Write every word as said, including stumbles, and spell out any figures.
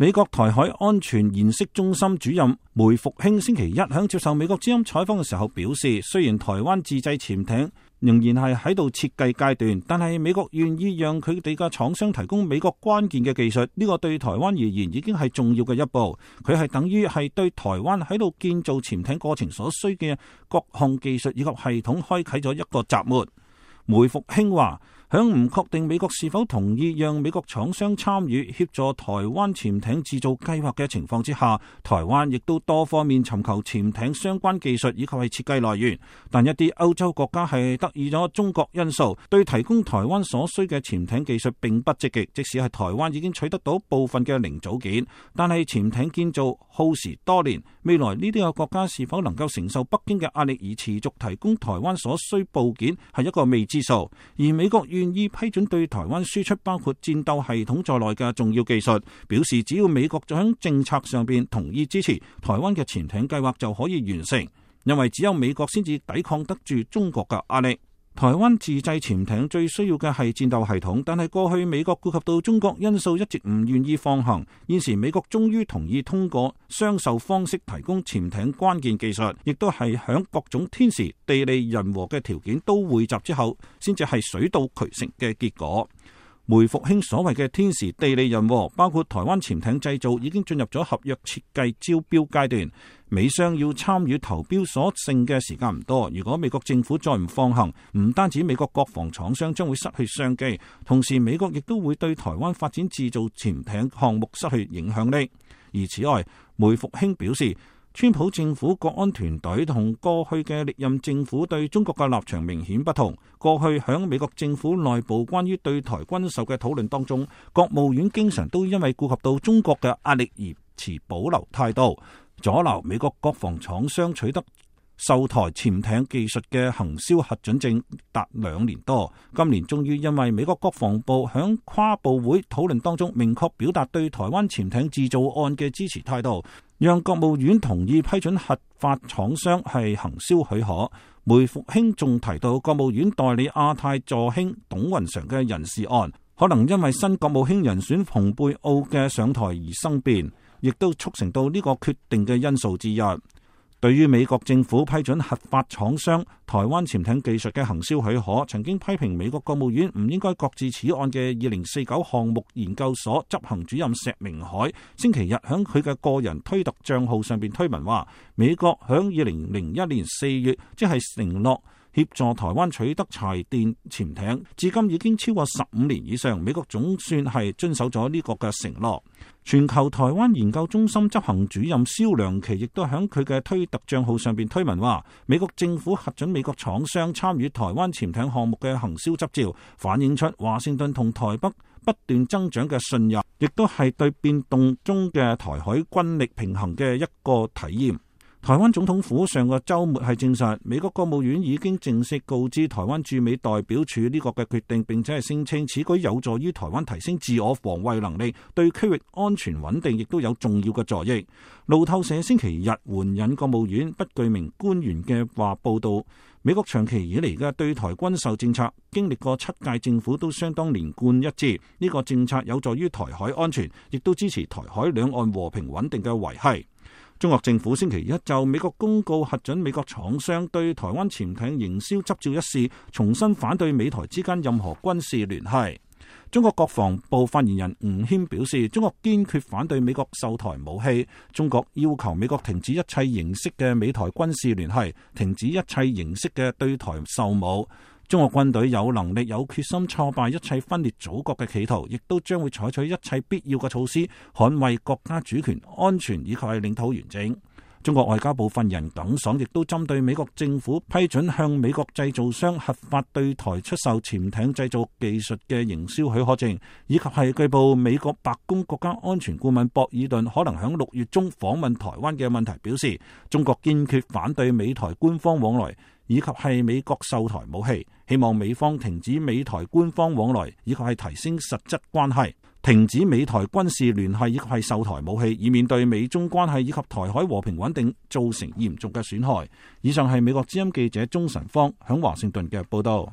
美國台海安全研析中心主任梅復興星期一響接受美國之音採訪嘅時候表示，雖然台灣自製潛艇仍然係喺度設計階段，但係美國願意讓佢哋嘅廠商提供美國關鍵嘅技術，呢個對台灣而言已經係重要嘅一步。佢係等於係對台灣喺度建造潛艇過程所需嘅各項技術以及系統開啟咗一個閘門。梅復興話，響唔確定美國是否同意讓美國廠商參與協助台灣潛艇製造計劃嘅情況之下，台灣亦都多方面尋求潛艇相關技術以及係設計來源。但一啲歐洲國家係得意咗中國因素，對提供台灣所需嘅潛艇技術並不積極。即使係台灣已經取得到部分嘅零組件，但係潛艇建造耗時多年，未來呢啲個國家是否能夠承受北京嘅壓力而持續提供台灣所需部件係一個未知數。而美國願意批准對台灣輸出包括戰鬥系統在內嘅重要技術，表示只要美國喺政策上邊同意支持台灣嘅潛艇計劃就可以完成，因為只有美國先至抵抗得住中國嘅壓力。台灣自製潛艇最需要嘅係戰鬥系統，但係過去美國顧及到中國因素一直唔願意放行，現時美國終於同意通過雙售方式提供潛艇關鍵技術，亦都係響各種天時地利人和嘅條件都匯集之後，先至係水到渠成嘅結果。梅復興所謂嘅天時地利人和，包括台灣潛艇製造已經進入咗合約設計招標階段，美商要參與投標所剩嘅時間唔多。如果美國政府再唔放行，唔單止美國國防廠商將會失去商機，同時美國亦都會對台灣發展製造潛艇項目失去影響力。而此外，梅復興表示，川普政府國安團隊同過去嘅歷任政府對中國嘅立場明顯不同。過去響美國政府內部關於對台軍售嘅討論當中，國務院經常都因為顧及到中國嘅壓力而持保留態度，阻撓美國國防廠商取得售台潛艇技術嘅行銷核准證達兩年多。今年終於因為美國國防部響跨部會討論當中明確表達對台灣潛艇製造案嘅支持態度，讓國務院同意批准核發廠商係行銷許可。梅復興仲提到，國務院代理亞太助卿董雲常嘅人事案，可能因為新國務卿人選蓬佩奧嘅上台而生變，亦都促成到呢個決定嘅因素之一。對於美國政府批准核發廠商台灣潛艇技術嘅行銷許可，曾經批評美國國務院唔應該擱置此案嘅二零四九項目研究所執行主任石明海，星期日響佢嘅個人推特賬號上邊推文話，美國響二零零一年四月即係承諾協助台灣取得柴電潛艇，至今已經超過十五年以上，美國總算係遵守咗呢個嘅承諾。全球台灣研究中心執行主任蕭良琪亦都喺佢嘅推特賬號上邊推文話，美國政府核准美國廠商參與台灣潛艇項目嘅行銷執照，反映出華盛頓同台北不斷增長嘅信任，亦都係對變動中嘅台海軍力平衡嘅一個體驗。台灣總統府上個週末係證實，美國國務院已經正式告知台灣駐美代表處呢個嘅決定，並且係聲稱此舉有助於台灣提升自我防衛能力，對區域安全穩定亦都有重要嘅助益。路透社星期日援引國務院不具名官員嘅話報道，美國長期以嚟嘅對台軍售政策，經歷過七屆政府都相當連貫一致，呢個政策有助於台海安全，亦都支持台海兩岸和平穩定嘅維繫。中國政府星期一就美國公告核准美國廠商對台灣潛艇營銷執照一事，重新反對美台之間任何軍事聯繫。中國國防部發言人吳謙表示，中國堅決反對美國售台武器，中國要求美國停止一切形式嘅美台軍事聯繫，停止一切形式嘅對台售武。中國軍隊有能力、有決心挫敗一切分裂祖國嘅企圖，亦都將會採取一切必要嘅措施，捍衛國家主權、安全以及係領土完整。中國外交部發言人耿爽亦都針對美國政府批准向美國製造商核發對台出售潛艇製造技術嘅營銷許可證，以及係據報美國白宮國家安全顧問博爾頓可能響六月中訪問台灣嘅問題表示，中國堅決反對美台官方往來，以及係美國售台武器，希望美方停止美台官方往來，以及係提升實質關係，停止美台軍事聯繫，以及係售台武器，以免對美中關係以及台海和平穩定造成嚴重嘅損害。以上係美國之音記者鍾晨芳響華盛頓嘅報道。